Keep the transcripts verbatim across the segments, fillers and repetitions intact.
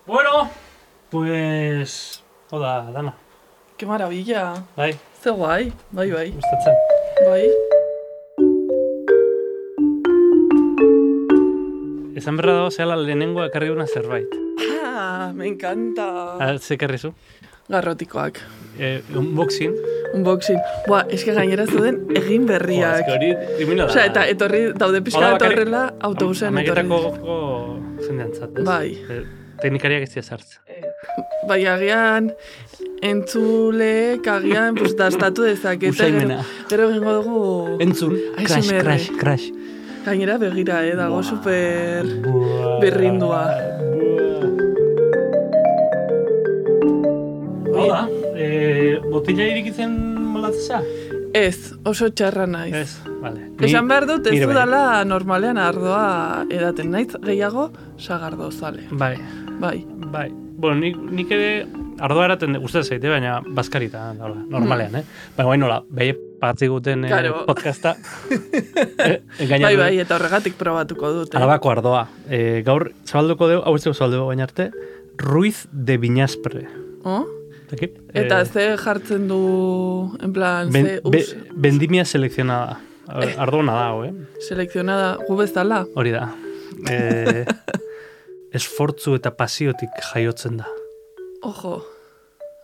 Bueno, pues... Oda, Dana. Qué maravilla. Bai. Ze guai, bai, bai. Gustatzen. Bai. Esan berra dago zehala lehenengo ekarri una zerbait. Ah, me encanta. Ah, ze ekarri zu? Garrotikoak. Eh, unboxing. Unboxing. Buah, eske gainera zuden egin berriak. Eske hori dimina da. Osea, eta etorri daude pixka Hola, bakarrik- etorrela autobusean etorri. Amaiketako jendeantzat, ez? Bai. Eh, Teknikariak ez dira sartzen. Bai, agian entzuleek agian pues, dastatu dezakete. Usaimena. Gero egingo dugu... Entzun, A S M R. crash, crash, crash. Gainera begira, eh, dago Buah. super Buah. berrindua. Hola, eh, botila irikitzen molatzea? Ez, oso txarra naiz. Ez, vale. Esan behar dut, ez nire bai. dudala normalean ardoa edaten naiz, gehiago sagardo zale. Bai, Bai. bai. Bueno, nik, nik ere ardoa eraten gustatzen zaite, baina bazkarita, hola, normalean, eh? Baina baina nola, behi patzi guten eh, Claro. podcasta. eh, engainatu. Bai, bai, eta horregatik probatuko dute. Arabako ardoa. Eh, gaur, zabalduko dugu, hau ez dugu zabalduko baina arte, Ruiz de Viñaspre. Oh? Dakit? Eta Eh, ze jartzen du, en plan, ben, ze be, us, vendimia selekzionada. Eh. Ardoa dago, eh? selekzionada gu bezala. Hori da. Eh, esfortzu eta pasiotik jaiotzen da. Ojo,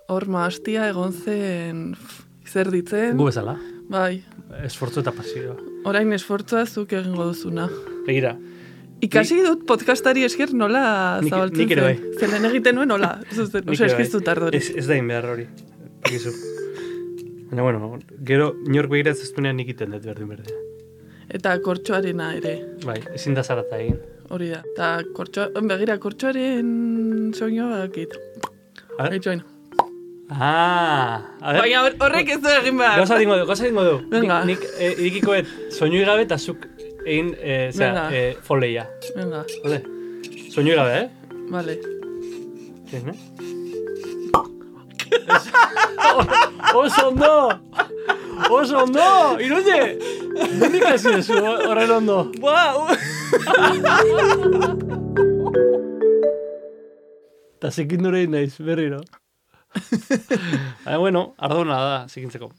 hor maastia egon zen pf, zer ditzen. Gu bezala. Bai, Esfortzu eta pasioa. orain esfortzua zuk egingo duzuna. Begira. Ikasi dut podcastari esker nola Nik- zabaltzen nik ere zen. Zelen egiten nuen nola. Zuzen, Nik osea, ere bai. eskiztu tardori. Ez, ez da inbehar hori. Egizu. Baina, bueno, gero inork begira ez duenean nik iten dut berdin berdin. Eta kortxoarena ere, Bai, ezin da zarata egin. hori da. Eta kortxoa, begira, kortxoaren soinua bakit. A ver. Eitxoin. Ah, a ver. Baina hor- horrek ez du egin behar. Gauza dingo du, gauza dingo du. Venga. Nik, nik eh, irikikoet soinui gabe eta zuk egin, eh, zera, Venga. eh, foleia. Venga, Vale? Soinui gabe, eh? vale. Zein, eh? Oso ondo! Oso ondo! Iruñe! Nondik hasi dezu horren ondo? Wow! Eta zekin dure naiz, berriro. Baina, bueno, ardona da, zikintzeko.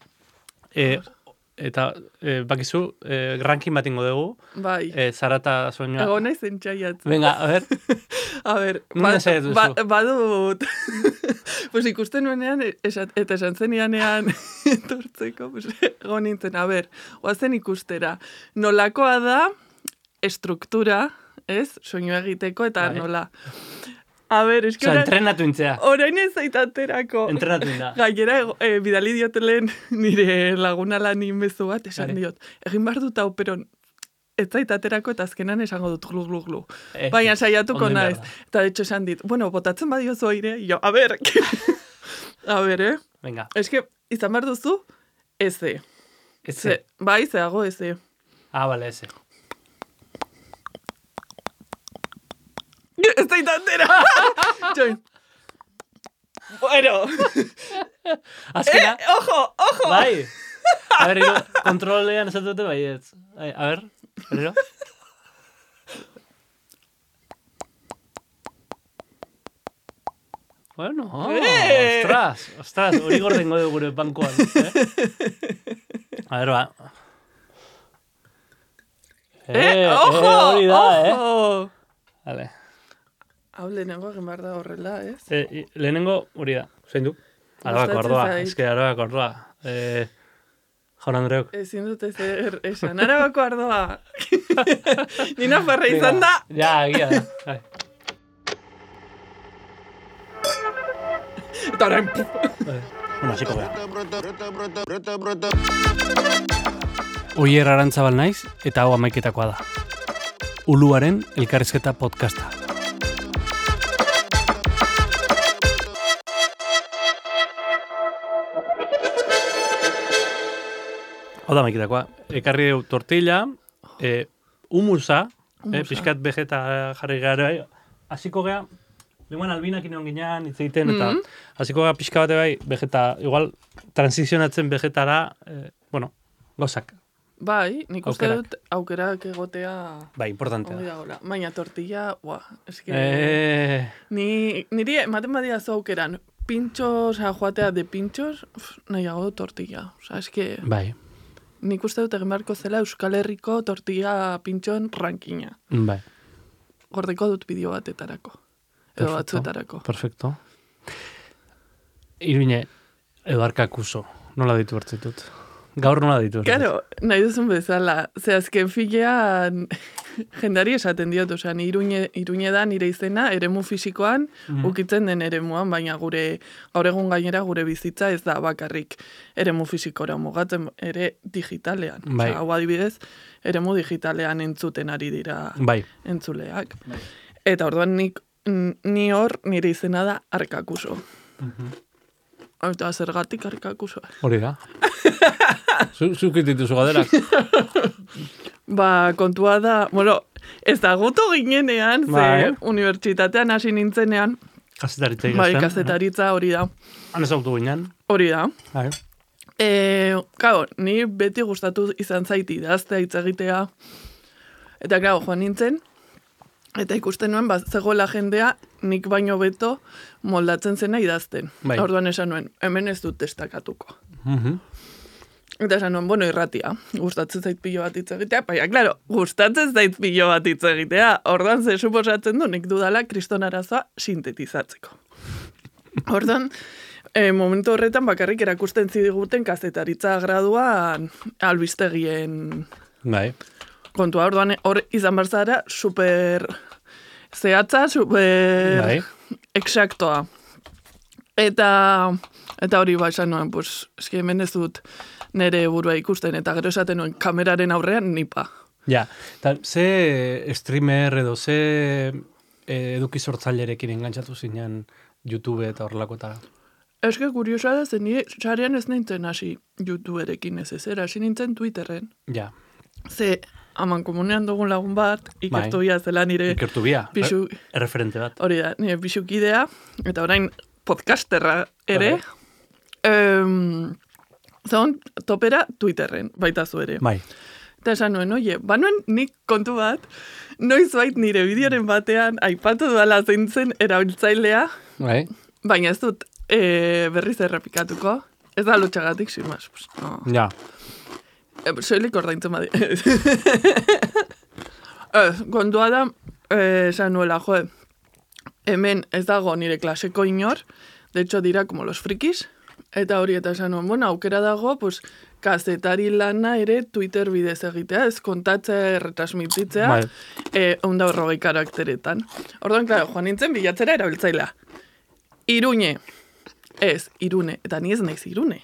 E, eta, e, bakizu, e, ranking bat ingo dugu, Bai, e, zarata soinua. ego naiz entxaiat. Venga, a ver, A ber, Non ensaiatu duzu? ba, badut. Pues ikusten nuenean, esat, eta esan zenianean etortzeko, pues, ego nintzen, a ber, oazen ikustera. Nolakoa da estruktura, ez, soinu egiteko, eta Bai. nola. A ber, eski oza, orain, entrenatu intzea. orain ez zaitaterako. Entrenatu inda. Gainera, ego- eh, bidali diotelen nire laguna lan inbezu bat, esan Vale. diot, egin behar dut hau, pero ez zaitaterako eta azkenan esango dut glu, glu, glu. Eh, Baina saiatuko ondo naiz. behar da. Eta de hecho esan dit, bueno, botatzen badiozu aire, jo, a ber, a ber, eh? Venga, Eske, izan behar duzu, eze. ez Ze, bai, zeago eze. Ah, bale, eze. Ez zaitatera! Join. Bueno. Azkena, Eh, ojo, ojo! bai. A ver, iro, kontrolean ez dute bai ez. Ai, a ver, berriro. Bueno, oh, Eh. ostras, ostras, hori gordengo dugu gure bankoan. Eh? A ver, ba. Eh, ojo, hori da, eh? ojo! Vale. Hau lehenengo egin behar da horrela, ez? Eh, i- lehenengo, hori da, zein du? Arabako Gustatzen ardoa, zait. eske arabako ardoa. Eh, Jaun Andreok. Ezin dute zer esan, arabako ardoa. Nina farra izan da. Ja, egia da. Bai. Eta orain, Bueno, hasiko gara. Oier Arantzabal naiz eta hau amaiketakoa da. Uluaren elkarrizketa podcasta. Hau da amaiketakoa. Ekarri deu tortilla, eh, humusa, eh, Humusa. pixkat vegeta jarri gara. Hasiko gea, lenguan albinak inon ginean hitz egiten, eta Mhm. hasiko gea pixka bate bai, vegeta, igual, transizionatzen vegetara, eh, bueno, gozak. bai, nik uste Aukerak. dut aukerak egotea Bai, importantea ongi da. dagoela. Baina tortilla, buah, eske... Eh, Ni ni, niri ematen badia zu aukeran, pintxos, oza, joatea de pintxos, uf, nahiago tortilla. Oza, eske... Bai. Nik uste dut egin beharko zela Euskal Herriko tortilla pintxoen rankina. Bai. Gordeko dut bideo batetarako. Edo batzuetarako. Perfecto. Iruine, edo arkakuso, nola ditu hartzitut? Gaur nola ditu hartzitut? Claro, nahi duzun bezala. Ze azken filean jendari esaten diot, osea, ni Iruñe, Iruñe da nire izena, eremu fisikoan, mm-hmm. ukitzen den eremuan, baina gure, gaur egun gainera gure bizitza ez da bakarrik eremu fisikora mugatzen, ere digitalean. Bai. Osea, hau adibidez, eremu digitalean entzuten ari dira bai. entzuleak. Bai. Eta orduan nik, ni hor nire izena da arkakuso. Mm-hmm. Eta zergatik arkakusoa. Hori da. Zuk dituzu gaderak. Ba, kontua da, bueno, ez da goto ginenean, ze Bai. unibertsitatean hasi nintzenean. Kazetaritza Bai, ikasten. kazetaritza hori da. Han ezautu ginen. Hori da. Bai. E, Kao, ni beti gustatu izan zaiti idaztea, hitz egitea. Eta, claro, joan nintzen, eta ikusten nuen, bat zegoela jendea, nik baino beto moldatzen zena idazten. Bai. Orduan esan nuen, hemen ez dut destakatuko. Mhm. Eta esan nuen, bueno, irratia, gustatzen zait pilo bat hitz egitea, baina, claro, gustatzen zait pilo bat hitz egitea, orduan ze suposatzen du, nik dudala kriston arazoa sintetizatzeko. Orduan, e, momentu horretan bakarrik erakusten zidiguten kazetaritza graduan albistegien Bai. kontua. Orduan, hor izan barzara super zehatza, super Bai. exactoa. Eta, eta hori ba esan nuen, pues, eski hemen ez dut nire burua ikusten, eta gero esaten nuen kameraren aurrean nipa. Ja, eta ze streamer edo ze eh, eduki sortzailerekin engantzatu zinen YouTube eta horrelako eta... Eske kuriosa da, zen nire sarean ez nintzen hasi YouTuberekin ez ez, hasi nintzen Twitterren. Ja, Ze, aman komunean dugun lagun bat, ikertu bia zela nire... ikertu bia, Pisu- re- erreferente bat. Hori da, nire bisukidea, eta orain podcasterra ere, um, zaun topera Twitterren, baita zu ere. Bai, Eta esan nuen, oie, banuen nik kontu bat, noiz bait nire bideoren batean aipatu duala zeintzen erabiltzailea, bai, baina ez dut e, berriz errepikatuko, ez da lotxagatik, sin más. Pues, no. ja, E, soilik ordaintzen badi. Ez, kontua da, eh, esan nuela, jo, hemen ez dago nire klaseko inor, de hecho dira como los frikis, eta hori eta esan nuen, bueno, aukera dago, pues, kazetari lana ere Twitter bidez egitea, ez kontatzea, erretransmititzea, bai, eh, eunda horrogei karakteretan. Orduan, klaro, joan nintzen bilatzera erabiltzailea. Iruñe, ez, irune, eta ni ez naiz irune.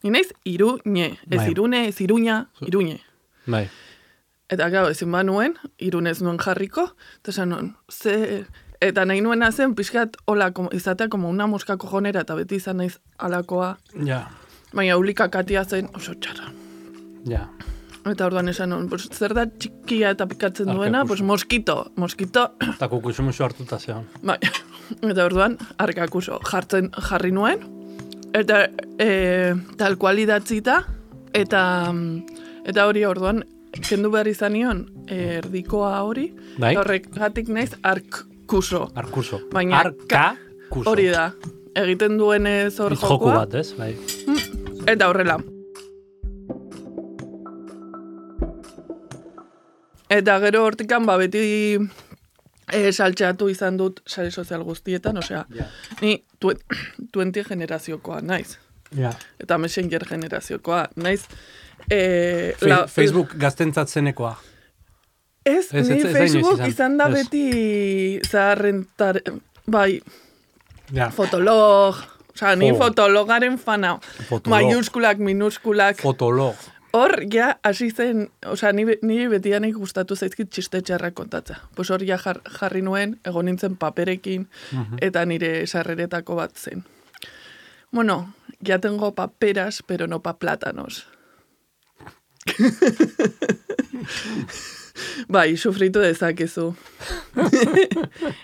Ni naiz iruñe, ez Bai. irune, ez iruña, iruñe. bai, Eta gau, ezin banuen, irunez nuen jarriko, eta esan nuen, ze... Eta nahi nuena zen, pixkat, hola, como, izatea, como una mosca cojonera, eta beti izan naiz alakoa, ja, baina ulikakatia zen oso txarra. ja, Eta orduan esan nuen, pues, zer da txikia eta pikatzen duena, Arkakuso. pues moskito, moskito, eta kukuxumuxu hartuta zeon. bai, eta orduan, arkakuso jartzen jarri nuen, eta e, tal kual idatzita, eta, eta hori orduan, kendu behar izan nion, erdikoa hori, Bai. horregatik naiz arkuso. Arkuso. Baina Arkakuso. Hori da, egiten duenez hor Joku jokua, bat, ez? Bai. eta horrela. Eta gero hortikan, ba, beti e, saltxeatu izan dut sare sozial guztietan, osea, Ja. ni tuen- twenty generaziokoa naiz. Ja. Eta Messenger generaziokoa naiz. E, Fe- la- Facebook gaztentzatzenekoa. Ez, Ez, ni ez- ez da Facebook inoiz izan. izan da Ez. beti zaharrentar, bai, Ja. fotolog, osea, ni Jo. fotologaren fana. Fotolog. Maiuskulak, minuskulak. Fotolog. Hor, ja, hasi zen, osea, ni, be- ni betianik gustatu zaizkit txiste txarrak kontatza. Pues hor, ja jar, jarri nuen, egon nintzen paperekin, Mhm. eta nire sarreretako bat zen. Bueno, ya tengo paperas, pero no pa plátanos. Bai, sufritu dezakezu.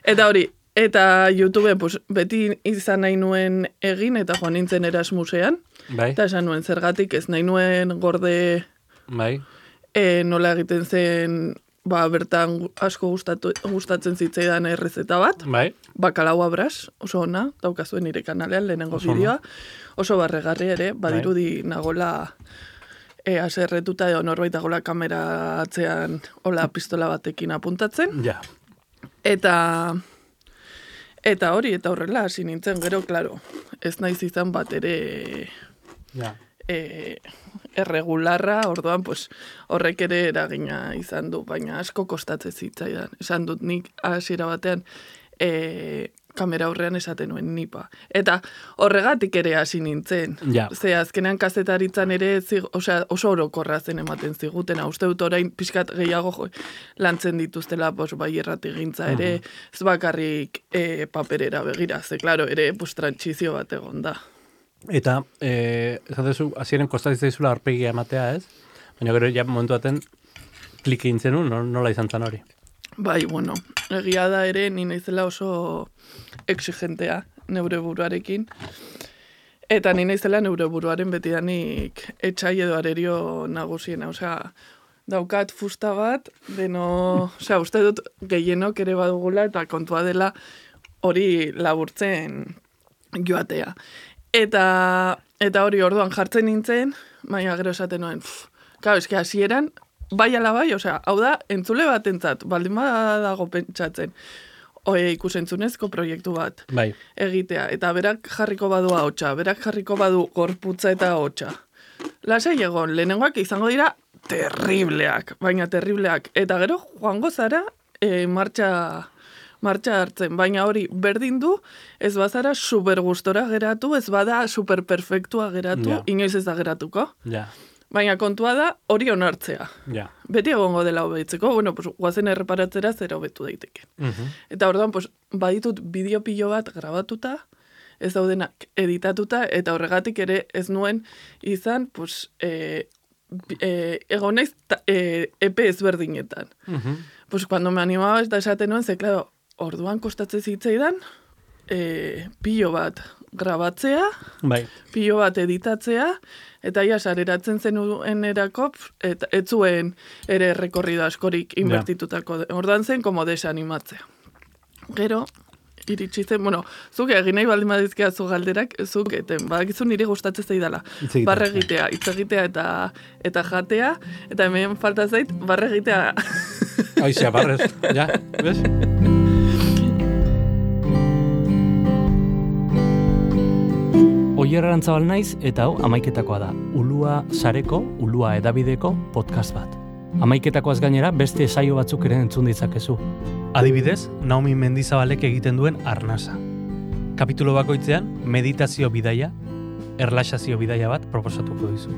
Eta hori, eta YouTube, pues, beti izan nahi nuen egin, eta joan nintzen Erasmusean, Bai, eta esan nuen zergatik ez nahi nuen gorde bai, e, nola egiten zen ba, bertan asko gustatu, gustatzen zitzaidan errezeta bat. Bai. Bakalau abras, oso ona, daukazuen nire kanalean, lehenengo Oso bideoa. Oso barregarri ere, badirudi nagola e, aserretuta edo norbait dagoela kamera atzean hola pistola batekin apuntatzen. Ja. Eta eta hori, eta horrela hasi nintzen, gero, klaro, ez naiz izan bat ere Ja. e, erregularra, orduan, pues, horrek ere eragina izan du, baina asko kostatzen zitzaidan. Esan dut nik hasiera batean e, kamera aurrean esaten nuen nipa. Eta horregatik ere hasi nintzen. Ja. Ze azkenean kazetaritzan ere zig, osea, oso orokorra zen ematen zigutena. Uste dut orain pixkat gehiago jo, lantzen dituztela pues, bai errategintza ere, uh -huh. ez bakarrik e, paperera begira. Ze, klaro, ere pues, trantsizio bat egon da. Eta, eh, esatezu, hasieran kostatzen zaizula aurpegia ematea, ez? Baina gero, ja, momentu baten, klik egin zenun, no? Nola izan zen hori? Bai, bueno, egia da ere, ni naizela oso exigentea neure buruarekin. Eta ni naizela neure buruaren betidanik etxai edo arerio nagusiena. Osea, daukat fusta bat, deno, osea, uste dut gehienok ere badugula eta kontua dela hori laburtzen joatea. Eta, eta hori orduan jartzen nintzen, baina gero esaten nuen, pff, kau, eske hasieran, bai ala bai, osea, hau da, entzule bat entzat, baldin badago pentsatzen, oe, ikusentzunezko proiektu bat bai. egitea, eta berak jarriko badu ahotsa, berak jarriko badu gorputza eta ahotsa. Lasai egon, lehenengoak izango dira terribleak, baina terribleak, eta gero joango zara e, martxa... martxa hartzen, baina hori berdin du, ez bazara super gustora geratu, ez bada super perfektua geratu, ja. Inoiz ez da geratuko. Ja. Baina kontua da hori onartzea. Ja. Beti egongo dela hobetzeko, bueno, pues, guazen erreparatzera zera hobetu daiteke. Uh -huh. Eta orduan, pues, baditut bideo pilo bat grabatuta, ez daudenak editatuta, eta horregatik ere ez nuen izan, pues, e, e, egon naiz e, epe ezberdinetan. Uh -huh. Pues, cuando me animaba, eta esaten nuen, ze, claro, orduan kostatzen zitzaidan, e, pilo bat grabatzea, bai. pilo bat editatzea, eta ia sareratzen zenuen erako, eta ez zuen ere rekorrido askorik inbertitutako. Ja. Orduan zen, como desanimatzea. Gero, iritsi zen, bueno, zuk egin nahi baldin badizkea zu galderak, zuk eten, badakizu niri gustatzen zaidala. Barre egitea, hitz egitea eta, eta jatea, eta hemen falta zait, barre egitea. Aizia, barrez, ja, bez? Oier Arantzabal naiz eta hau amaiketakoa da. Ulua sareko, Ulua edabideko podcast bat. Amaiketakoaz gainera beste saio batzuk ere entzun ditzakezu. Adibidez, Naomi Mendizabalek egiten duen Arnasa. Kapitulo bakoitzean meditazio bidaia, erlaxazio bidaia bat proposatuko dizu.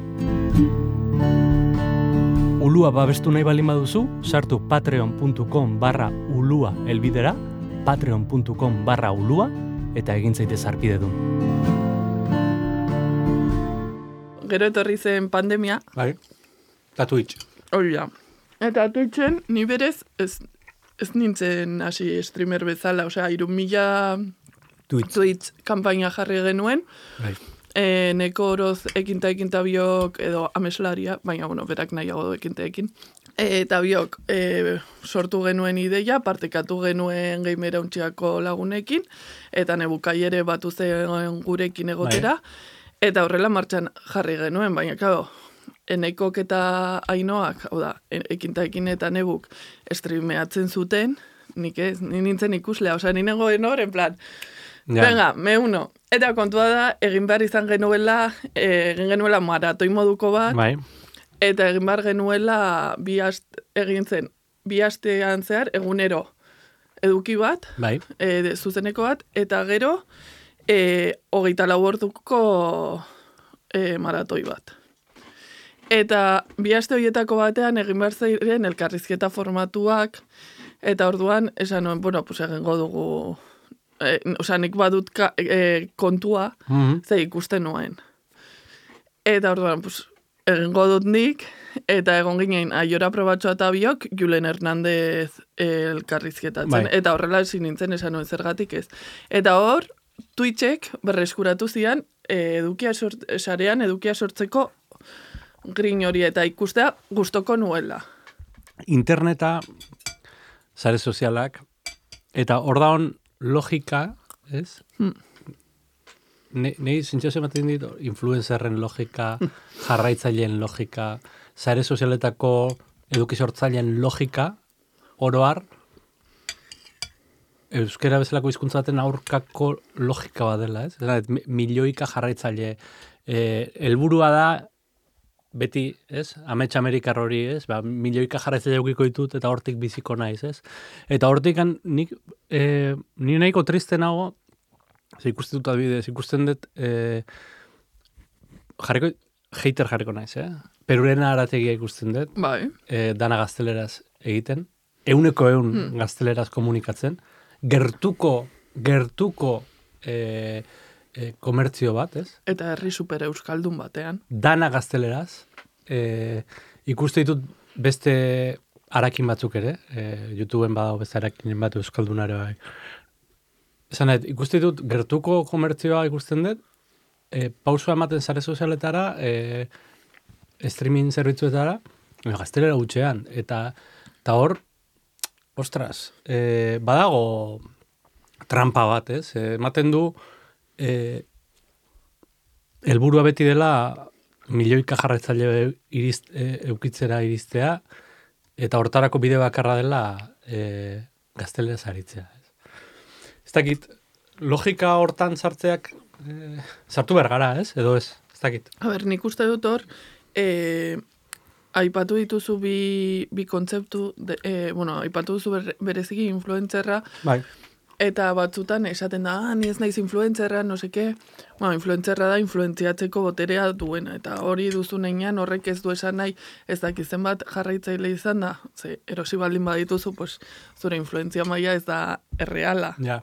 Ulua babestu nahi baldin baduzu, sartu patreon.com barra ulua elbidera, patreon.com barra ulua, eta egin zaitez arpidedun. Gero etorri zen pandemia. Bai, eta Twitch. Hori da. Eta Twitchen, ni berez, ez, ez nintzen hasi streamer bezala, osea, iru mila Twitch, Twitch kampaina jarri genuen. Bai. E, neko oroz ekinta ekinta biok edo ameslaria, baina, bueno, berak nahiago du ekinta ekin. E, eta biok e, sortu genuen ideia, partekatu genuen gamera untxiako lagunekin, eta nebukai ere batu zen gurekin egotera, bai. Eta horrela martxan jarri genuen, baina, claro, enekok eta ainoak, hau da, ekintaekin eta nebuk streameatzen zuten, nik ez, nintzen ikuslea, osea, ninegoen hor, en plan, ja. Venga, me uno. Eta kontua da, egin behar izan genuela, egin genuela maratoi moduko bat, bai. Eta egin behar genuela, bi aste, egin zen, bi astean zehar, egunero eduki bat, bai. E, zuzeneko bat, eta gero, E, hogeita lau orduko e, maratoi bat. Eta bi aste horietako batean egin behar ziren elkarrizketa formatuak, eta orduan esan nuen, bueno, pues egingo dugu, e, osea, nik badut ka, e, kontua, mm-hmm. ze ikusten nuen. Eta orduan, pues, egingo dut nik, eta egon ginen Aiora Probatxoa eta biok, Julen Hernandez elkarrizketatzen, bai. Eta horrela ezin nintzen esan nuen zergatik ez. Eta hor, Twitchek berreskuratu zian edukia sort, sarean edukia sortzeko grin hori eta ikustea gustoko nuela. interneta, sare sozialak, eta hor daun logika, ez? Hmm. Nei zintzioz ematen dit, influencerren logika, jarraitzaileen logika, sare sozialetako eduki-sortzaileen logika, oroar, euskera bezalako hizkuntza baten aurkako logika bat dela, ez? Ez milioika jarraitzaile, helburua da, beti, ez? Amets Amerikar hori, ez? Ba, milioika jarraitzaile eukiko ditut, eta hortik biziko naiz, ez? Eta hortik, nik, e, ni nahiko triste nago, ze ikusten dut adibidez, ikusten dut, e, jarriko, hater jarriko naiz, eh? Perurena arategia ikusten dut, bai. E, dana gazteleraz egiten, euneko eun hmm. gazteleraz komunikatzen, gertuko, gertuko e, e, komertzio bat, ez? Eta herri super euskaldun batean. Dana gazteleraz, e, ikuste ditut beste arakin batzuk ere, e, YouTubeen badago beste arakinen bat euskaldunare bai. Esan nahi, ikuste ditut gertuko komertzioa ikusten dut, e, pausua ematen sare sozialetara, e, streaming zerbitzuetara, gaztelera gutxean, eta eta hor, ostras, e, badago trampa bat, ez? E, ematen du, e, helburua beti dela milioika jarraitzaile iriz, e, eukitzera iristea, eta hortarako bide bakarra dela e, gaztelera zaritzea. Ez? Ez dakit, logika hortan sartzeak e, sartu behar gara, ez? Edo ez, ez dakit. A ber, nik uste dut hor, e, aipatu dituzu bi, bi kontzeptu, de, e, bueno, aipatu duzu ber, bereziki influentzerra, bai. Eta batzutan esaten da, ah, ni ez naiz influentzerra, no seke, bueno, influentzerra da influentziatzeko boterea duena, eta hori duzu neinean horrek ez du esan nahi, ez dakizen bat jarraitzaile izan da, ze erosi baldin badituzu, pues, zure influentzia maila ez da erreala. Ja.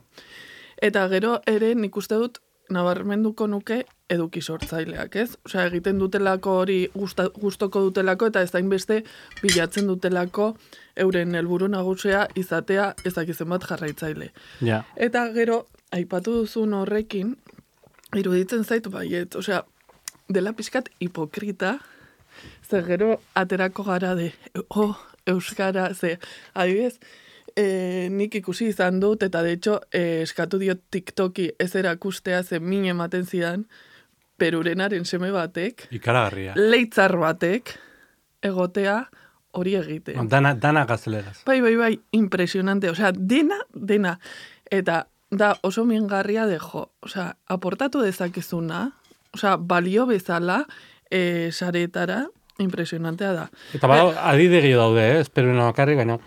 Eta gero ere nik uste dut, nabarmenduko nuke eduki sortzaileak, ez? Osea, egiten dutelako hori gusta, gustoko dutelako eta ez dainbeste bilatzen dutelako euren helburu nagusia izatea ezakizen bat jarraitzaile. Ja. Eta gero, aipatu duzun horrekin, iruditzen zait baiet, osea, dela pixkat hipokrita, ze gero aterako gara de, oh, euskara, ze, adibidez, E, nik ikusi izan dut, eta de hecho, e, eskatu diot TikToki ez erakustea zen min ematen zidan, perurenaren seme batek, ikaragarria. Leitzar batek, egotea hori egite. Dana, dana gazteleraz. Bai, bai, bai, impresionante, osea, dena, dena. Eta da oso mingarria dejo, osea, aportatu dezakezuna, osea, balio bezala, e, saretara, impresionantea da. Eta bada, adidegi daude, eh? Espero bakarrik, baina...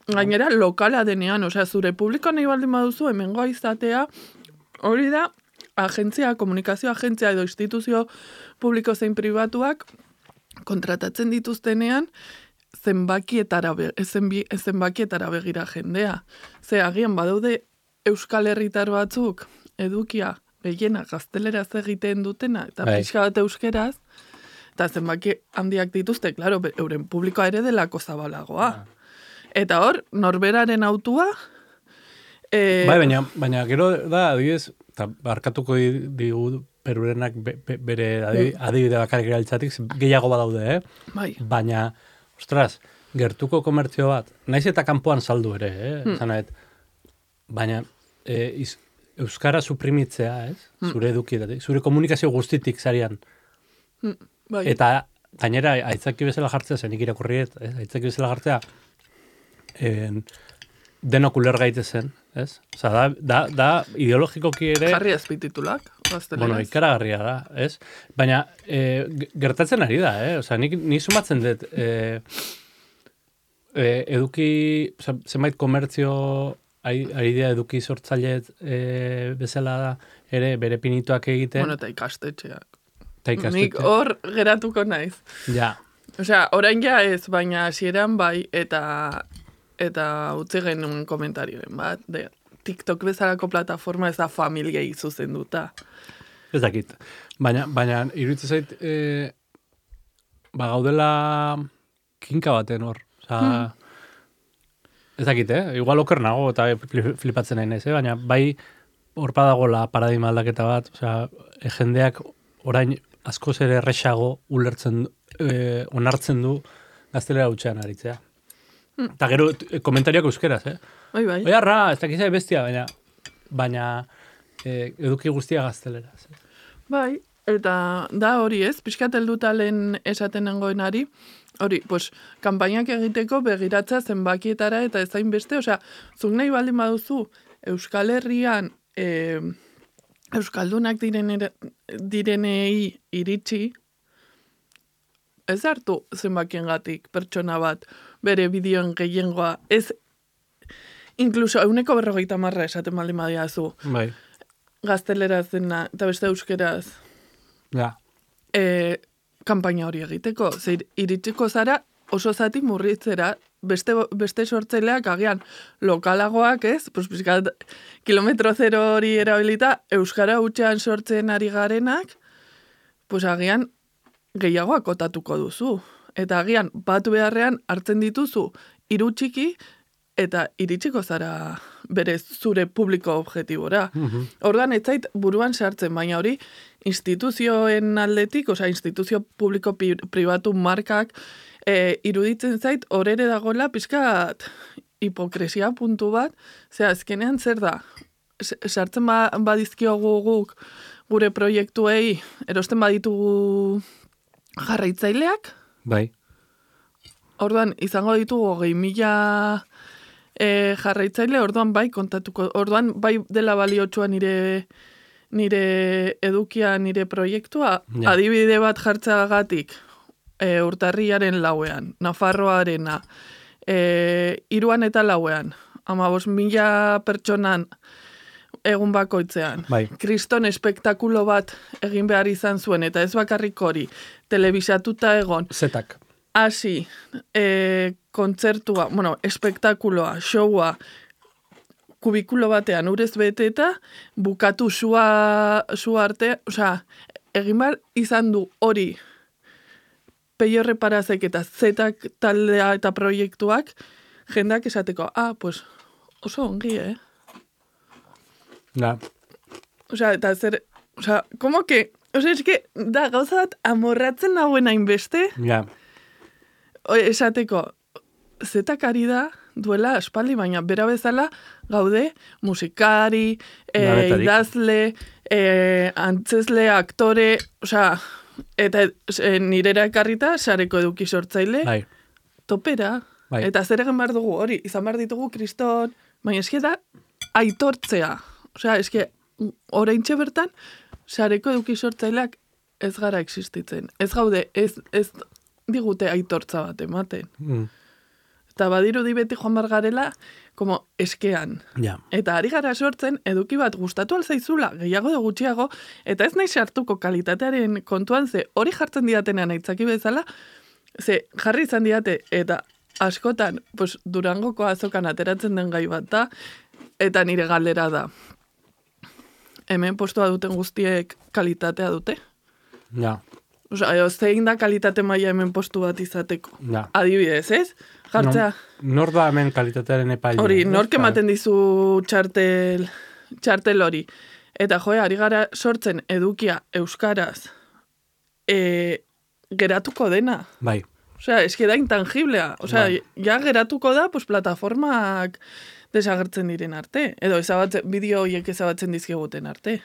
Gainera, lokala denean, osea, zure publiko nahi baldin baduzu, hemengoa izatea, hori da, agentzia, komunikazio agentzia edo instituzio publiko zein pribatuak kontratatzen dituztenean, zenbakietara, be, zenbi, zenbakietara begira jendea. Ze, agian badaude Euskal Herritar batzuk, edukia, gehiena, gazteleraz egiten dutena, eta Bai. pixka bat euskeraz, eta zenbaki handiak dituzte, klaro, euren publikoa ere delako zabalagoa. Ah. Eta hor, norberaren autua... E... Bai, baina, baina gero da, adibidez, eta barkatuko digu perurenak be, be, bere adibide bakarrik erabiltzatik, gehiago badaude, eh? Bai. Baina, ostras, gertuko komertzio bat, naiz eta kanpoan saldu ere, eh? Hmm. Zanaet, baina, e, iz, euskara suprimitzea, ez? Hmm. Zure edukietatik, zure komunikazio guztitik zarian. Hmm. Bai. Eta, gainera, aitzaki bezala jartzea, zenik irakurriet, eh? Aitzaki bezala jartzea, En, denok uler gaitezen, ez? Osa, da, da, da ideologikoki ere... Jarri azpititulak, gazteleraz. Bueno, ikaragarria da, ez? Baina, e, gertatzen ari da, eh? Osa, ni, ni sumatzen dut, e, e, eduki, oza, zenbait komertzio, ari, ari dira eduki sortzailet e, bezala da, ere bere pinituak egiten. Bueno, eta ikastetxeak. Eta ikastetxeak. Nik hor geratuko naiz. Ja. Osea, orain ja ez, baina hasieran bai, eta... eta utzi genuen komentarioen bat, de TikTok bezalako plataforma ez da familiei zuzenduta. Ez dakit. Baina, baina iruditzen zait, e, ba gaudela kinka baten hor. Osa, hmm. Ez dakit, eh? Igual oker nago eta flipatzen nahi naiz, eh? Baina bai hor badagola paradigma aldaketa bat, osea, e, jendeak orain askoz ere erresago ulertzen, e, onartzen du gaztelera hutsean aritzea. Eta gero komentarioak euskeraz, eh? Bai, bai. Oia, ra, ez dakizai bestia, baina, baina eh, eduki guztia gazteleraz. Eh? Bai, eta da hori ez, pixkat heldutalen esaten nengoenari, hori, pues, kanpainak egiteko begiratza zenbakietara eta ezain beste, osea, zuk nahi baldin baduzu Euskal Herrian e, Euskaldunak direnera, direnei iritsi, ez hartu zenbakiengatik pertsona bat bere bideoen gehiengoa, ez inkluso euneko berrogeita marra esaten baldin badiazu. Bai. Gazteleraz dena, eta beste euskeraz. Ja. E, kanpaina hori egiteko. Zer, iritsiko zara oso zati murritzera, beste, beste sortzaileak agian lokalagoak, ez? Pues, bizkat, kilometro zero hori erabilita, euskara hutsean sortzen ari garenak, pues agian gehiago akotatuko duzu. Eta agian batu beharrean hartzen dituzu hiru txiki eta iritsiko zara berez zure publiko objetibora. Mhm. Orduan ez zait buruan sartzen, baina hori instituzioen aldetik, osea instituzio publiko pi, pribatu markak e, iruditzen zait horere dagoela pixkat hipokresia puntu bat, zera azkenean zer da, S- sartzen ba, badizkiogu guk gure proiektuei erosten baditugu jarraitzaileak, Bai. orduan izango ditugu hogei mila e, jarraitzaile, orduan bai kontatuko, orduan bai dela baliotsua nire nire edukia, nire proiektua, Ja. adibide bat jartzagatik e, urtarriaren lauean, Nafarroarena, e, iruan eta lauean, amabos mila pertsonan egun bakoitzean. Bai. Kriston espektakulo bat egin behar izan zuen, eta ez bakarrik hori, telebisatuta egon, Zetak. hasi, e, kontzertua, bueno, espektakuloa, showa, kubikulo batean urez beteta, bukatu sua, sua arte, osea, egin behar izan du hori Peio Reparazek eta Zetak taldea eta proiektuak, jendak esateko, ah, pues, oso ongi, eh? Ja. Osea, eta zer, osea, como que, osea, eske, da, gauza bat amorratzen nagoen hainbeste, Ja. o, esateko, Zetak ari da, duela aspaldi, baina bera bezala gaude musikari, e, Lanetarik. idazle, e, antzesle, aktore, osea, eta e, nirera ekarrita sareko eduki sortzaile, Bai. topera. Bai. Eta zer egin behar dugu hori, izan behar ditugu kriston, baina eske da aitortzea. Osea, eske oraintxe bertan sareko eduki sortzaileak ez gara existitzen. Ez gaude, ez, ez digute aitortza bat ematen. Mm. Eta badirudi beti joan bar garela, como eskean. Ja. Eta ari gara sortzen, eduki bat gustatu alzaizula, gehiago edo gutxiago, eta ez nahi sartuko kalitatearen kontuan, ze hori jartzen diatenean aitzaki bezala, ze jarri izan diate, eta askotan, pues, Durangoko azokan ateratzen den gai bat da, eta nire galdera da. Hemen postua duten guztiek kalitatea dute? Ja. Osa, eo, zein da kalitate maila hemen postu bat izateko? Ja. Adibidez, ez? Jartzea. No, nor da hemen kalitatearen epaile? Hori, ez? nork Bai. ematen dizu txartel, txartel hori. Eta joe, ari gara sortzen edukia euskaraz e, geratuko dena. Bai. Osea, eske da intangiblea. Osea, Bai. ja geratuko da, pues, plataformak desagertzen diren arte. Edo ezabatzen, bideo horiek ezabatzen dizkiguten arte.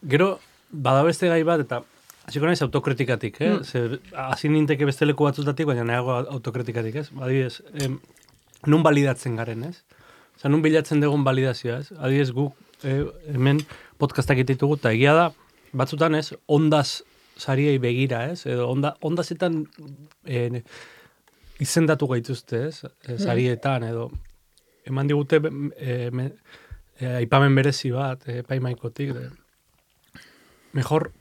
Gero, bada beste gai bat, eta hasiko naiz autokritikatik, eh? Mm. Ze, hasi ninteke beste leku batzutatik, baina nahiago autokritikatik, ez? Adibidez, em, nun balidatzen garen, ez? Osa, nun bilatzen dugun balidazioa, ez? Adibidez, guk eh, hemen podcastak ditugu, eta egia da, batzutan, ez? Ondaz sariei begira, ez? Edo onda, ondazetan eh, izendatu gaituzte, ez? E, sarietan, edo eman digute eh, me, eh, aipamen berezi bat, eh, paimaikotik, de, mejor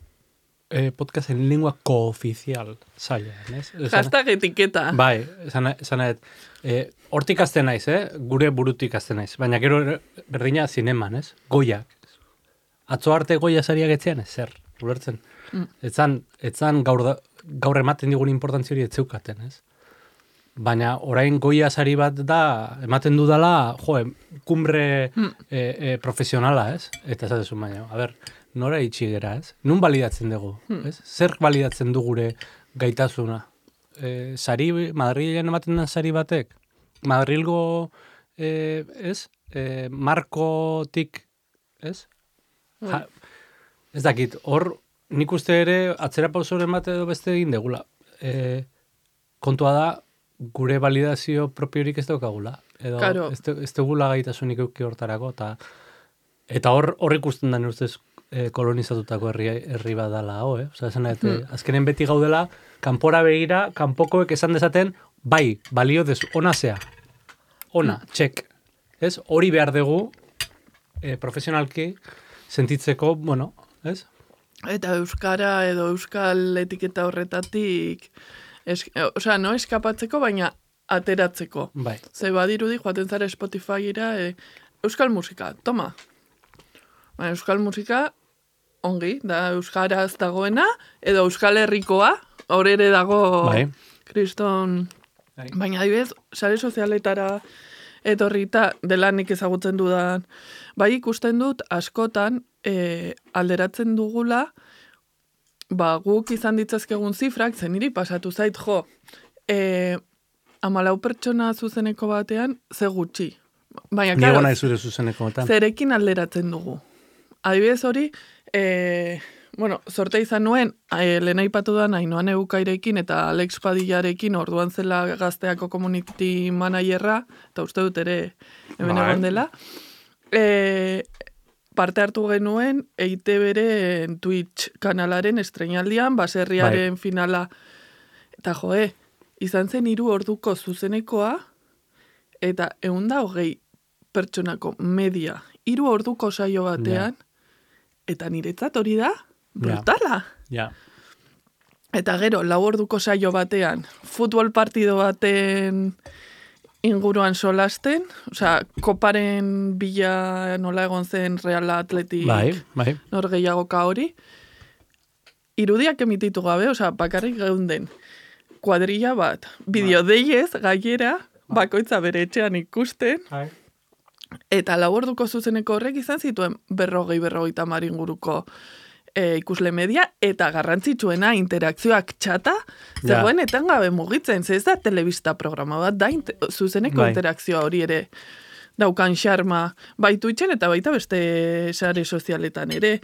eh, podcast en lengua cooficial zaila, ez? Hashtag etiketa. Bai, esan esan nahi, eh, hortik azten naiz, eh? Gure burutik azten naiz, baina gero berdina zineman, ez? Goiak. Atzo arte Goia sariak etzean, ez zer, ulertzen. Mm. Etzan, etzan gaur, da, gaur ematen digun importantzia hori etzeukaten, ez? Baina orain Goia sari bat da, ematen dudala, jo, kumbre Mm. e, e, profesionala, ez? Eta esatezu, baina, a ber, nora itxi gera, ez? Nun balidatzen dugu, ez? Zer balidatzen du gure gaitasuna? eh, sari, Madrilen ematen den sari batek, Madrilgo, eh, ez, eh, markotik, ez? Ja, ez dakit, hor, nik uste ere, atzera pausoren bat edo beste egin degula. Eh, kontua da, gure validazio propiorik ez daukagula. Edo, Claro. ez, ez dugula gaitasunik euki hortarako, eta eta hor, hor ikusten da ustez eh, kolonizatutako herri, herri bat dala, ho, eh? Osa, esan, hmm. azkenen beti gaudela, kanpora begira, kanpokoek esan dezaten, bai, balio dezu, ona zea. Ona, hmm. txek. Ez? Hori behar dugu, eh, profesionalki, sentitzeko, bueno, ez? Eta euskara edo euskal etiketa horretatik, es, osea, no eskapatzeko, baina ateratzeko. Bai. Ze badirudi, joaten zara Spotifyra, e, euskal musika, toma. Baina euskal musika, ongi, da euskaraz dagoena, edo euskal herrikoa, hor ere dago, bai. Kriston, bai. Baina adibidez, sare sozialetara etorrita, dela nik ezagutzen dudan, bai ikusten dut, askotan, e, alderatzen dugula, ba, guk izan ditzazkegun zifrak, zen niri pasatu zait, jo, e, amalau pertsona zuzeneko batean, ze gutxi. Baina, Niego nahi zure zuzeneko batean. Zerekin alderatzen dugu. Adibidez hori, e, bueno, sorte izan nuen, e, lehen aipatu da Ainhoa Egukairekin eta Alex Padillarekin, orduan zela Gazteako community managerra, eta uste dut ere hemen egon dela, e, parte hartu genuen E I Te Beren Twitch kanalaren estreinaldian, baserriaren bai. Finala, eta joe, izan zen hiru orduko zuzenekoa, eta ehun da hogei pertsonako media, hiru orduko saio batean, yeah. Eta niretzat hori da, brutala. Yeah. Eta gero, lau orduko saio batean, futbol partido baten inguruan solasten, osea, koparen bila nola egon zen Real Atletik, bai, bai. Nor gehiagoka hori, irudiak emititu gabe, osea, bakarrik geunden, kuadrilla bat, bideodeiez, gaiera, bakoitza bere etxean ikusten, bai. Eta lau orduko zuzeneko horrek izan zituen berrogei, berrogei tamar inguruko e, ikusle media, eta garrantzitsuena interakzioak txata, zegoen ja. Etengabe mugitzen, ze ez da telebista programa bat, da inte, zuzeneko bai. Interakzioa hori ere daukan xarma, bai Twitchen eta baita beste sare sozialetan ere.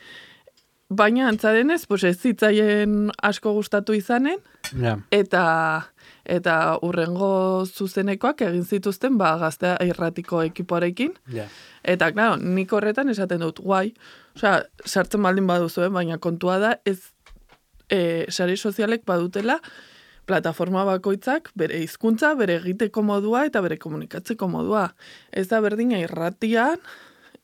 Baina antzadenez, pues ez zitzaien asko gustatu izanen, ja. eta... eta urrengo zuzenekoak egin zituzten ba, Gaztea irratiko ekipoarekin. Yeah. Eta, claro, nik horretan esaten dut, guai, osea, sartzen baldin baduzuen, baina kontua da, ez e, sare sozialek badutela plataforma bakoitzak bere hizkuntza, bere egiteko modua eta bere komunikatzeko modua. Ez da berdina irratian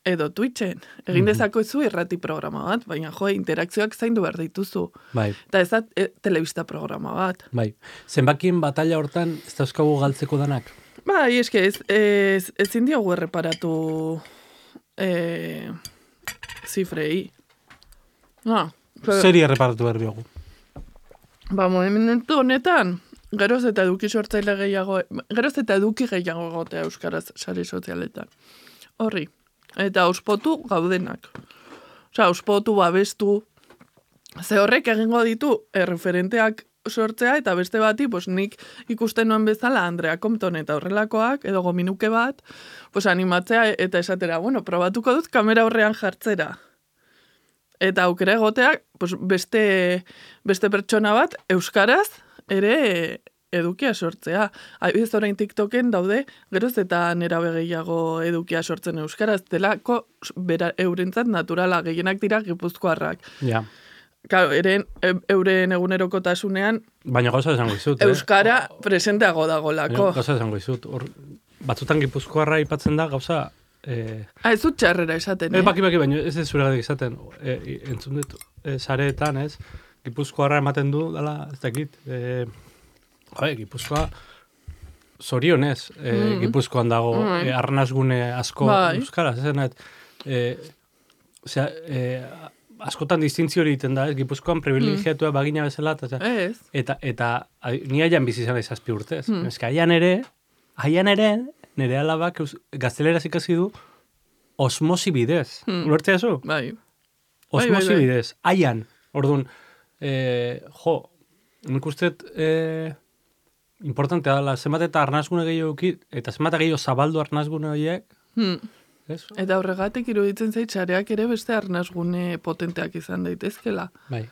edo Twitchen. Egin dezako ezu irrati programa bat, baina jo, interakzioak zaindu behar dituzu. Bai. Eta ez da e, telebista programa bat. Bai. Zenbakien batalla hortan ez dauzkagu galtzeko danak? Bai, eske ez, ez, ezin diogu erreparatu e, zifrei. Ah, pero, Zeri erreparatu behar diogu? Ba, momentu honetan, geroz eta eduki sortzaile gehiago, geroz eta eduki gehiago gotea euskaraz sare sozialetan. Horri. Eta auspotu gaudenak. Osea, auspotu, babestu, ze horrek egingo ditu erreferenteak sortzea, eta beste bati, pues, nik ikusten nuen bezala Andrea Compton eta horrelakoak, edo gominuke bat, pues, animatzea eta esatera, bueno, probatuko dut kamera horrean jartzera. Eta aukera egoteak, pues, beste, beste pertsona bat, euskaraz, ere edukia sortzea. Adibidez orain TikToken daude, geroz eta nerabe gehiago edukia sortzen euskaraz, delako bera, eurentzat naturala, gehienak dira gipuzkoarrak. Ja. Claro, eren, euren egunerokotasunean baina gauza esango izut, euskara eh? presenteago dagolako. Gauza esango izut, hor, batzutan gipuzkoarra aipatzen da gauza... Eh, ah, ez dut txarrera esaten, eh? Baki, baki, baina ez ez zuregatik esaten, eh, entzun dut, eh, sareetan, ez? Gipuzkoarra ematen du, dala, ez dakit, eh, Bai, Gipuzkoa zorionez, e, mm. Gipuzkoan dago mm. e, arnazgune asko bai. Euskaraz, ezen, e, osea, e, askotan distintzio hori egiten da, ez, Gipuzkoan privilegiatua mm. bagina bezala, eta, eta, eta a, ni haian bizi izan zazpi urtez. Mm. Eska, haian ere, haian ere, nire alabak gazteleraz ikasi du osmosi bidez. Mm. Ulertzea zu? Bai. Osmosi bai, bai, bai. bidez, haian. Orduan, e, jo, nik usteet, e, importantea dela, zenbat eta arnazgune gehiago eukit, eta zenbat eta gehiago zabaldu arnazgune horiek, Hmm. ez? Eta horregatik iruditzen zait sareak ere beste arnazgune potenteak izan daitezkela. Bai.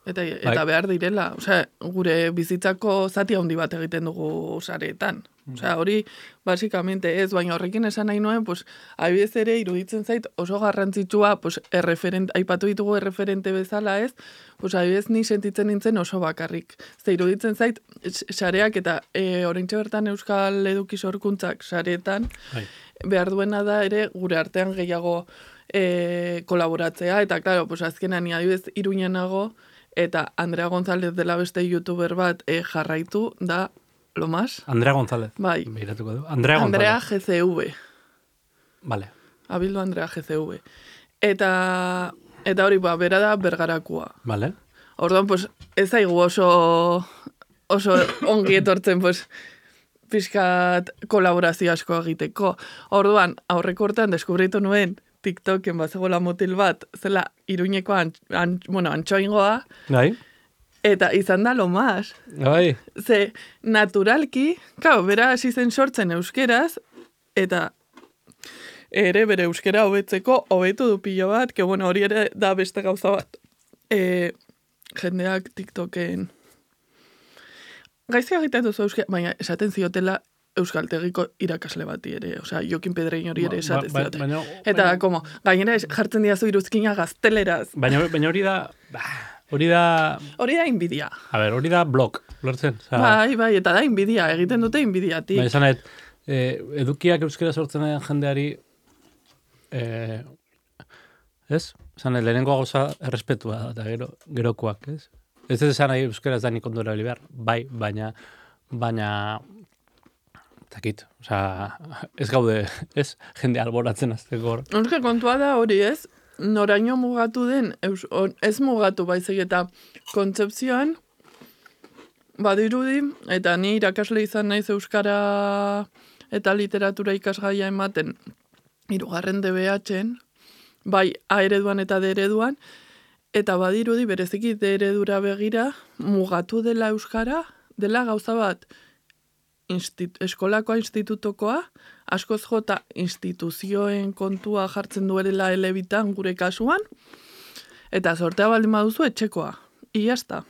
Eta, eta behar direla, osea, gure bizitzako zati handi bat egiten dugu sareetan. Osea, hori, basikamente ez, baina horrekin esan nahi nuen, pues, adibidez ere iruditzen zait oso garrantzitsua, pues, erreferent, aipatu ditugu erreferente bezala ez, pues, adibidez ni sentitzen nintzen oso bakarrik. Ze iruditzen zait, sareak eta e, oraintxe bertan Euskal Eduki Sorkuntzak sareetan, Bai. behar duena da ere gure artean gehiago e, kolaboratzea, eta, claro, pues, azkenan ni adibidez Iruñan nago, eta Andrea González dela beste youtuber bat e, jarraitu da lo más. Andrea González. Bai. Beiratuko du. Andrea González. Andrea G C V. Vale. Abildu Andrea G C V. Eta, eta hori, ba, bera da bergarakua. Vale. Orduan, pues, ez zaigu oso, oso ongi etortzen, pues, pixkat kolaborazio asko egiteko. Orduan, aurreko urtean deskubritu nuen TikToken bazegoela motil bat, zela Iruñeko an, an, bueno, antxoingoa, Bai. eta izan da lo más. Bai. Ze, naturalki, kau, bera hasi zen sortzen euskeraz, eta ere bere euskera hobetzeko hobetu du pilo bat, que bueno, hori ere da beste gauza bat. E, jendeak TikToken gaizki egiten duzu euskera, baina esaten ziotela euskaltegiko irakasle bati ere, osea, Jokin Pedrein hori ere esaten Ba- ba- zioten. baina- Eta, baina- como, gainera es- jartzen diazu iruzkina gazteleraz. Baina, baina hori da, bah, hori da, Hori da inbidia. a ber, hori da blog, lortzen. Osa, Bai, bai, eta da inbidia, egiten dute inbidiatik. Ba, esan nahi, eh, edukiak euskera sortzen den jendeari, eh, ez? Esan nahi, lehenengo gauza errespetua da, eta gero, gerokoak, ez? Ez ez esan nahi euskera ez da nik ondo erabili behar, bai, baina, baina, takit, osea, ez gaude, ez, jende alboratzen azteko hor. Euske kontua da hori ez, noraino mugatu den, eus, on, ez mugatu baizik eta kontzepzioan, badirudi, eta ni irakasle izan naiz euskara eta literatura ikasgaia ematen, hirugarren D B H-en, bai A ereduan eta D ereduan, eta badirudi bereziki D eredura begira, mugatu dela euskara, dela gauza bat, Instit, eskolakoa institutokoa, askoz jota instituzioen kontua jartzen duela elebitan gure kasuan, eta sortea baldin baduzu etxekoa. Iazta.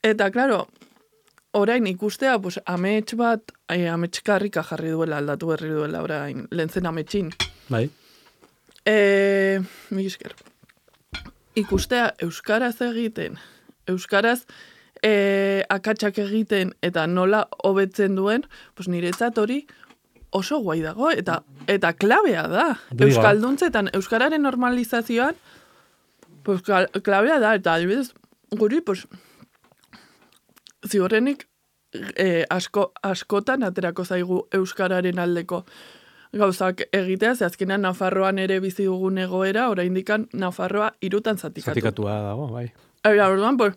Eta, klaro, orain ikustea, pues, amets bat, eh, ametskarrika jarri duela, aldatu berri duela, orain, lehen ametsin. Bai. E, mi esker. Ikustea euskaraz egiten, euskaraz e, akatsak egiten eta nola hobetzen duen, pues niretzat hori oso guai dago, eta eta klabea da. Diga. Euskalduntzetan, euskararen normalizazioan, pues klabea da, eta adibidez, guri, pues, ziurrenik e, asko, askotan aterako zaigu euskararen aldeko gauzak egitea, ze azkenean Nafarroan ere bizi dugun egoera, oraindikan Nafarroa hirutan zatikatu. Zatikatua dago, bai. Eta, orduan, pues,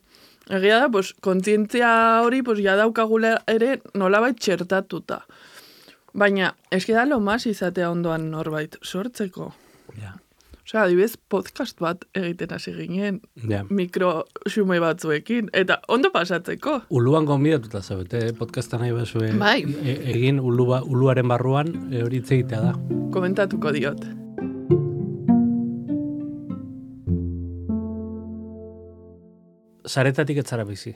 egia da, pues, kontzientzia hori, pues, ja daukagula ere nolabait txertatuta. Baina, eski da lo mas izatea ondoan norbait sortzeko. Ja. Osea, adibidez, podcast bat egiten hasi ginen, Ja. mikro xume batzuekin, eta ondo pasatzeko. Uluan gonbidatuta zaudete, eh? Podcasta nahi bazue Bai. e- egin ulua, uluaren barruan e, hori hitz egitea da. Komentatuko diot. Saretatik etzara bizi.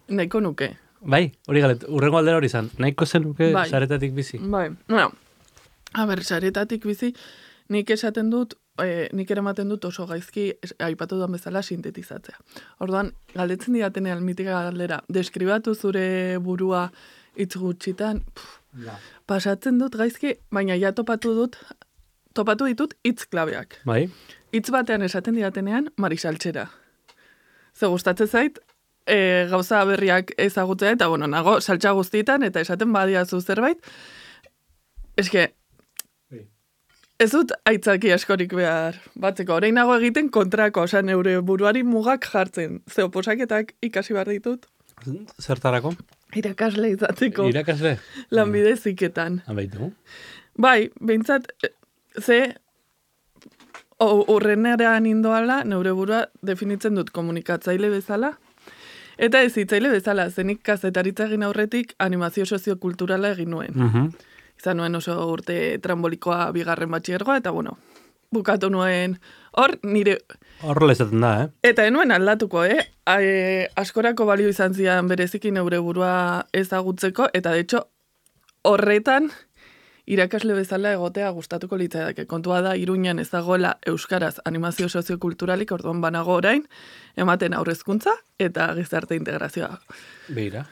Nahiko nuke. Bai, hori galet, urrengo aldera hori izan. Nahiko zen nuke Bai. saretatik bizi. Bai, bueno, a ber, saretatik bizi, nik esaten dut, e, nik eramaten dut oso gaizki, es, aipatu duan bezala, sintetizatzea. Orduan, galdetzen didatenean mitika galdera, deskribatu zure burua hitz gutxitan, pff, Ja. pasatzen dut gaizki, baina ja topatu dut, topatu ditut hitz klabeak. Bai, Hitz batean esaten didatenean, marisaltxera. Ze gustatzen zait, e, gauza berriak ezagutzea, eta bueno, nago saltxa guztietan, eta esaten badiazu zerbait, eske, Bai. ez dut aitzaki askorik behar batzeko. Orain nago egiten kontrako, osea, neure buruari mugak jartzen. Ze oposaketak ikasi behar ditut, zertarako? irakasle izateko Irakasle? lanbide ziketan. Abaitu. Bai, behintzat, e, ze, o- urrenean indoala, neure burua definitzen dut komunikatzaile bezala, Eta hezitzaile bezala, zenik kazetaritza egin aurretik animazio soziokulturala egin nuen. Mhm. Izan nuen oso urte trambolikoa bigarren batxiergoa, eta bueno, bukatu nuen hor nire... Horrela izaten da, eh? Eta enuen aldatuko, eh? E, askorako balio izan zian berezikin neure burua ezagutzeko, eta de hecho, horretan irakasle bezala egotea gustatuko litzaidake. Kontua da, Iruñan ez dagoela euskaraz animazio soziokulturalik, orduan banago orain, ematen aurrezkuntza eta gizarte integrazioa. Beira.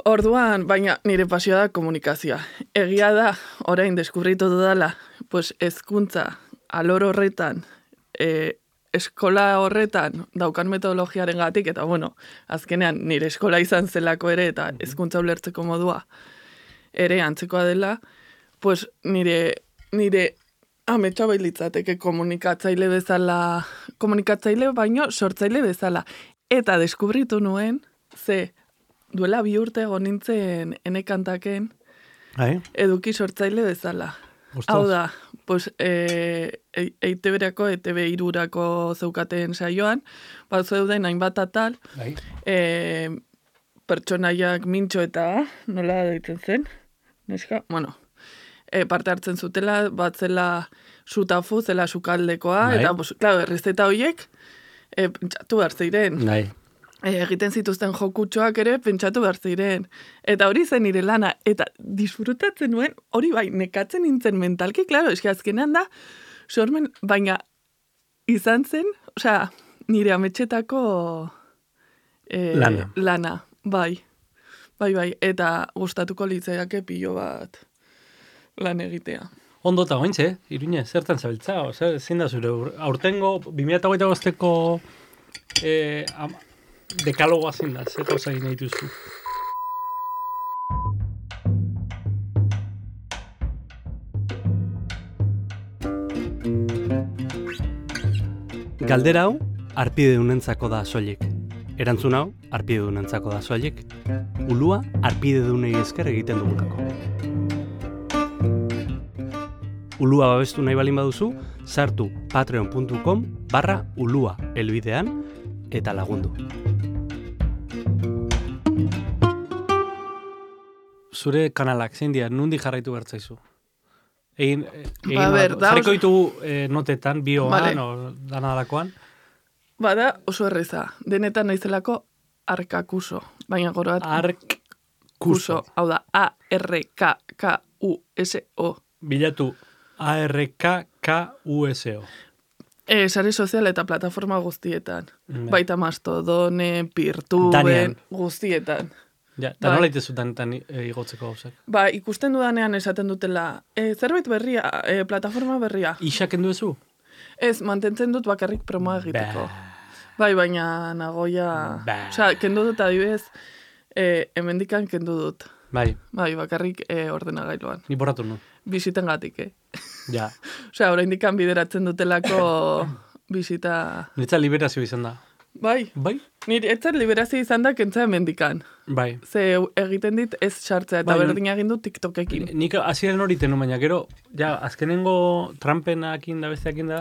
Orduan, baina nire pasioa da komunikazioa. Egia da, orain deskubritu dudala, pues hezkuntza alor horretan, e, eskola horretan daukan metodologiaren gatik, eta bueno, azkenean nire eskola izan zelako ere, eta hezkuntza ulertzeko modua ere antzekoa dela, pues nire, nire ametsa bailitzateke komunikatzaile bezala, komunikatzaile baino sortzaile bezala. Eta deskubritu nuen, ze duela bi urte egon nintzen enekantaken Ai. eduki sortzaile bezala. Ostras. Hau da, pues, e, e, E I Te Berako, E Te Be irurako zeukaten saioan, bat zeuden hainbat atal, Bai. e, pertsonaiak mintxo eta, nola deitzen zen, neska, bueno, e, parte hartzen zutela, bat zela sutafu, zela sukaldekoa, Bai. eta, pues, claro, errezeta horiek, e, pentsatu behar ziren. Bai. E, egiten zituzten jokutxoak ere pentsatu behar ziren. Eta hori zen nire lana, eta disfrutatzen nuen, hori bai, nekatzen nintzen mentalki, klaro, eski azkenean da, sormen, baina izan zen, osea, nire ametxetako e, Lana. lana, bai, bai, bai, eta gustatuko litzaiake pilo bat lan egitea. Ondo eta gointze, Iruñe, zertan zabiltza? Zer, zein da zure ur- aurtengo, bi mila hogeita bosteko eh, am- dekalogoa zein da, zer gauza egin nahi duzu? Galdera hau, arpidedunentzako da soilik. Erantzun hau, arpidedunentzako da soilik. Ulua, arpidedunei esker egiten dugulako. Ulua babestu nahi balin baduzu, sartu patreon puntu com barra ulua elbidean eta lagundu. Zure kanalak, zein dira, nundi jarraitu bertzaizu? Egin, egin Ba, ber, da jarriko oso- ditugu eh, notetan, bioan, Vale. o danadakoan. Bada oso erreza, denetan naizelako arkakuso, baina goroat Ark kuso, hau da, A R K K U S O. Bilatu A R K K U S O. E, sare sozial eta plataforma guztietan. Bai. Baita Mastodone, Peertuben, Danean. guztietan. Ja, eta Bai. nola itezu danetan e, igotzeko gauzak? Ba, ikusten dudanean esaten dutela, e, zerbait berria, e, plataforma berria. Isak enduezu? Ez, mantentzen dut bakarrik promoa egiteko. Bai, baina nagoia... Ba. Osea, kendu dut adibidez, e, hemendikan kendu dut. Bai, Bai, bakarrik e, ordenagailuan. ni borratu nu. Bisiten gatik, eh? Ja. Osea, oraindikan bideratzen dutelako bisita... Nitza liberazio izan da. Bai, Bai? nire etzat liberazio izan da kentza hemendikan. Bai. Ze egiten dit ez sartzea eta Bai, berdina egin dut TikTokekin. Nik hasieran hori tenu, baina gero, ja, azkenengo Trumpenakin da besteakin da,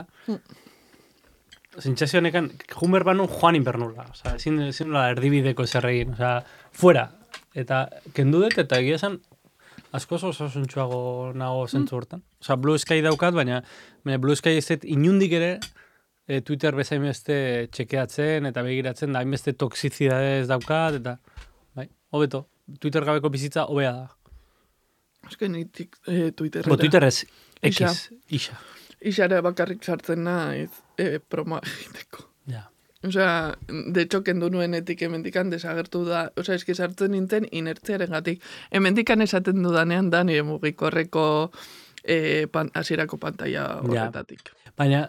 sentsazio honekan, jumer banu joan inbernula. Osa, ezin, ezin nola erdibideko zer egin. Osa, fuera. Eta kendu dut, eta egia esan, asko oso osasuntxuago nago zentzu hortan. Osa, Blue Sky daukat, baina, baina Blue Sky ez dut inundik ere, e, Twitter bezain beste txekeatzen eta begiratzen, da hainbeste toxizidadez daukat, eta, bai, hobeto. Twitter gabeko bizitza hobea da. Eske ni tik, e, Twitterrera. Bo, Twitter ez, Isa. X, isa. Isara bakarrik sartzen naiz e, promoa egiteko. Ja. Osea, de hecho, kendu nuenetik hemendikan desagertu da, osea, eski sartzen nintzen inertziaren gatik. Hemendikan esaten dudanean da nire mugikorreko e, pan, asierako pantalla horretatik. Baina,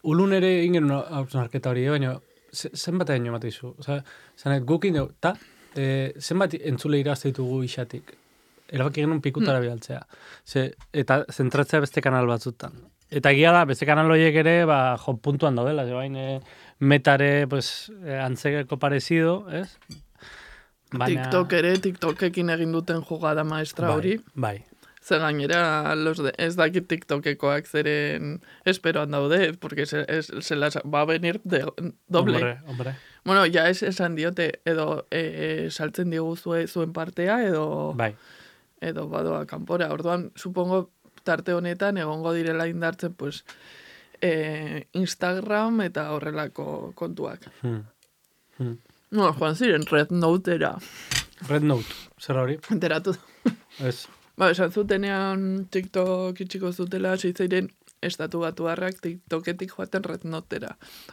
ulun ere ingen hausnarketa hori, baina ze- zenbat egin emate izu. Osa, zanet, gukin dugu, ta, e, zenbat entzule irazte ditugu isatik. Erabaki genuen pikutara bidaltzea. Ze, eta zentratzea beste kanal batzutan. Eta egia da, beste kanal horiek ere, ba, jo, puntuan daudela, ze bain, e, metare, pues, e, antzeko parezido, ez? TikTok ere, TikTokekin egin duten jugada maestra bai, hori. Bai, Ze gainera, los de, ez dakit TikTokekoak zeren esperoan daude, porque se, es, se las va a venir de, doble. Hombre, hombre. Bueno, ja es, esan diote, edo e, saltzen digu zue, zuen partea, edo, Bai. edo badoa kanpora. Orduan, supongo, tarte honetan egongo direla indartzen, pues, e, Instagram eta horrelako kontuak. Hmm. Hmm. No, joan ziren, Red Notera. Red Note, zer hori? Enteratu. Ez. Ba, esan zutenean TikTok itxiko zutela, zeiren estatu batuarrak TikToketik joaten Red Notera.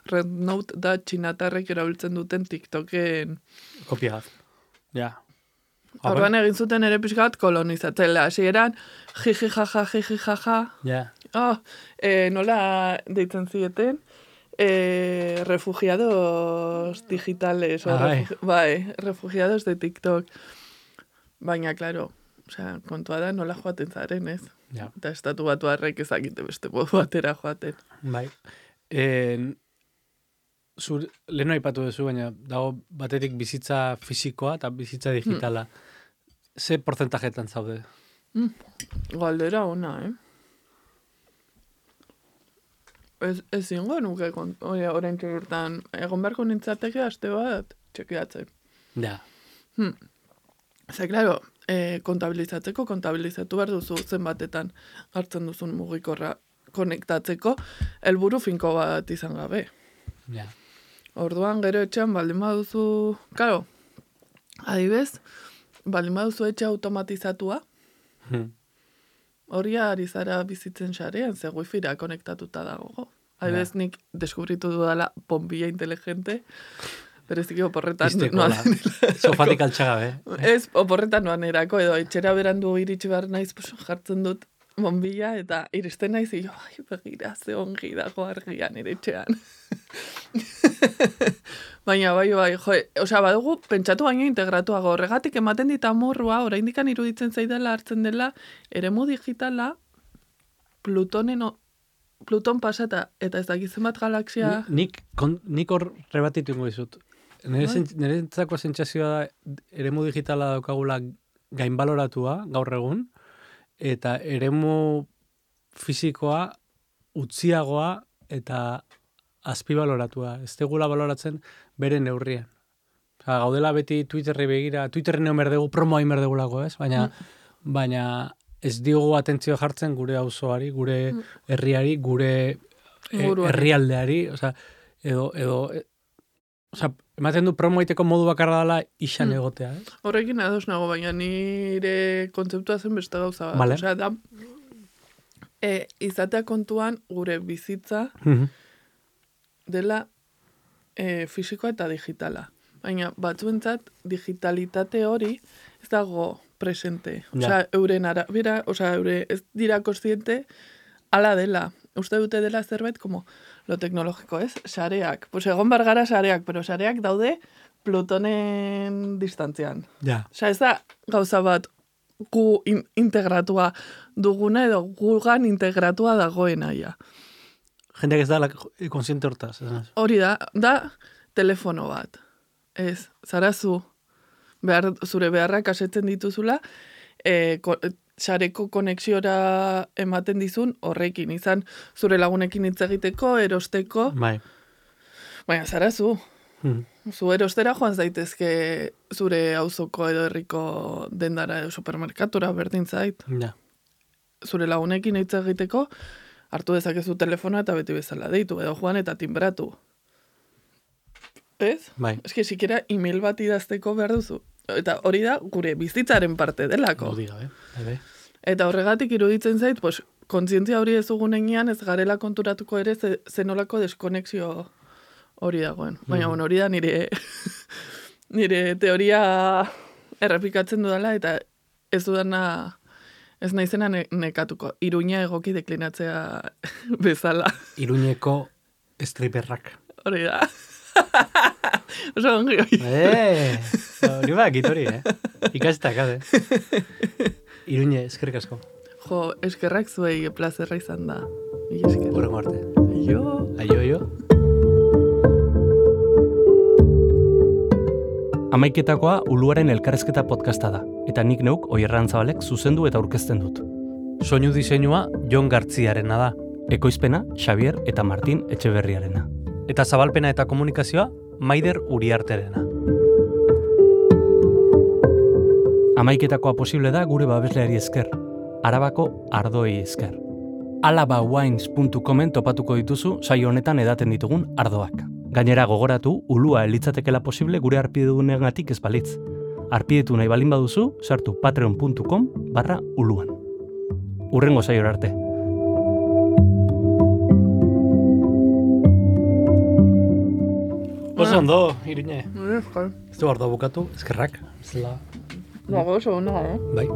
Red Note da txinatarrek erabiltzen duten TikToken... Kopia bat. Ja. Orduan egin zuten ere pixka bat kolonizatzela. Hasieran jiji jaja, jiji jaja. Ja. Oh, e, nola deitzen zieten? E, refugiados digitales. O Ai. refugi, bai, refugiados de TikTok. Baina, claro, osea, kontua da nola joaten zaren, ez? Ja. Eta estatu batuarrek ezakite beste modu batera joaten. Bai. En, zur, leheno aipatu duzu, baina dago batetik bizitza fisikoa eta bizitza digitala. Ze porcentajetan zaude? Mm. Galdera ona, eh? Ez, ez zingo nuke orain txegurtan. Egon beharko nintzateke aste bat txekiatzen. Ja. Hmm. Ze, claro, eh, kontabilizatzeko, kontabilizatu behar duzu zenbatetan hartzen duzun mugikorra konektatzeko, helburu finko bat izan gabe. Ja. Orduan, gero etxean baldin baduzu, claro, adibez, baldin baduzu etxe automatizatua, Hmm. hori ari zara bizitzen sarean, ze wifira konektatuta dago. Adibez, nik deskubritu dudala bombilla inteligente, bereziki oporretan Iztekola. Sofatik altxagabe. Ez, oporretan noan erako, edo etxera berandu iritsi behar naiz, pues, jartzen dut bombilla, eta iristen naiz, jo, ai, begira, ze ongi dago argian iretxean. Baina, bai, bai, jo, osea, badugu, pentsatu baino integratuago, horregatik ematen dit amorrua, oraindikan iruditzen zaidala hartzen dela, eremu digitala, Plutonen, Pluton pasata, eta ez dakizen bat galaxia... Nik, kon, nik hor rebatitu ingo dizut. Nire entzako sentsazioa da, eremu digitala daukagula gainbaloratua, gaur egun, eta eremu fisikoa utziagoa eta azpibaloratua. Ez tegula baloratzen bere neurrian. Osa, gaudela beti Twitterri begira, Twitterri neon berdegu, promoa inberdegulako, ez? Baina, mm. baina ez diogu atentzio jartzen gure auzoari, gure mm. herriari, gure e, herrialdeari, osa, edo, edo, e, osa, ematen du promo egiteko modu bakarra dela isan egotea, ez? Horrekin ados nago, baina nire kontzeptua zen beste gauza bat. Vale. Osea, da, e, izatea kontuan gure bizitza Mm-hmm. dela e, fisikoa eta digitala. Baina batzuentzat digitalitate hori ez dago presente. Osea, Ja. euren arabera, osea, eure ez dira kontziente ala dela. Uste dute dela zerbait como lo teknologiko, ez? Sareak. Pues egon bar gara sareak, pero sareak daude Plutonen distantzian. Ja. Osea, ez da gauza bat gu in, integratua duguna edo gugan integratua dagoena ja. Jendeak ez da konsiente hortaz. Hori da, da telefono bat. Ez, zarazu, behar, zure beharrak asetzen dituzula, e, ko, sareko konexiora ematen dizun horrekin, izan zure lagunekin hitz egiteko, erosteko, Bai. baina zarazu, Hmm. zu erostera joan zaitezke zure auzoko edo herriko dendara edo supermerkatura berdin zait. Ja. Zure lagunekin hitz egiteko, hartu dezakezu telefona eta beti bezala deitu, edo joan eta timbratu. Ez? Bai. Ez que, sikiera email bat idazteko behar duzu. Eta hori da gure bizitzaren parte delako. Hau diga, eh? Bai, bai. Eta horregatik iruditzen zait, pues, kontzientzia hori ez dugunean ez garela konturatuko ere ze, zenolako deskonexio hori dagoen. Baina, Mhm. bueno, hori da nire, nire teoria errepikatzen dudala, eta ez dudana, ez naizena ne, nekatuko. Iruña egoki deklinatzea bezala. Iruñeko striperrak. Hori da. Oso ongi hori. Eh, hori ba, gitori, eh? Ikastak, ade. Iruñe, eskerrik asko. Jo, eskerrak zuei plazerra izan da. Mila esker. Horrengo arte. Aio. Aio, aio. Hamaiketakoa Uluaren elkarrezketa podcasta da, eta nik neuk Oierran Zabalek zuzendu eta aurkezten dut. Soinu diseinua Jon Gartziarena da. Ekoizpena Xavier eta Martin Etxeberriarena. Eta zabalpena eta komunikazioa Maider Uriarterena. Hamaiketakoa posible da gure babesleari esker. Arabako ardoei esker. alabawines puntu comen topatuko dituzu saio honetan edaten ditugun ardoak. Gainera gogoratu, ulua elitzatekela posible gure arpidunengatik ez balitz. Arpidetu nahi balin baduzu, sartu patreon puntu com barra uluan. Urrengo saiora arte. Oso ondo, Irine. Ez du ardo bukatu, eskerrak. Zela. Nago oso ona, eh? Bai.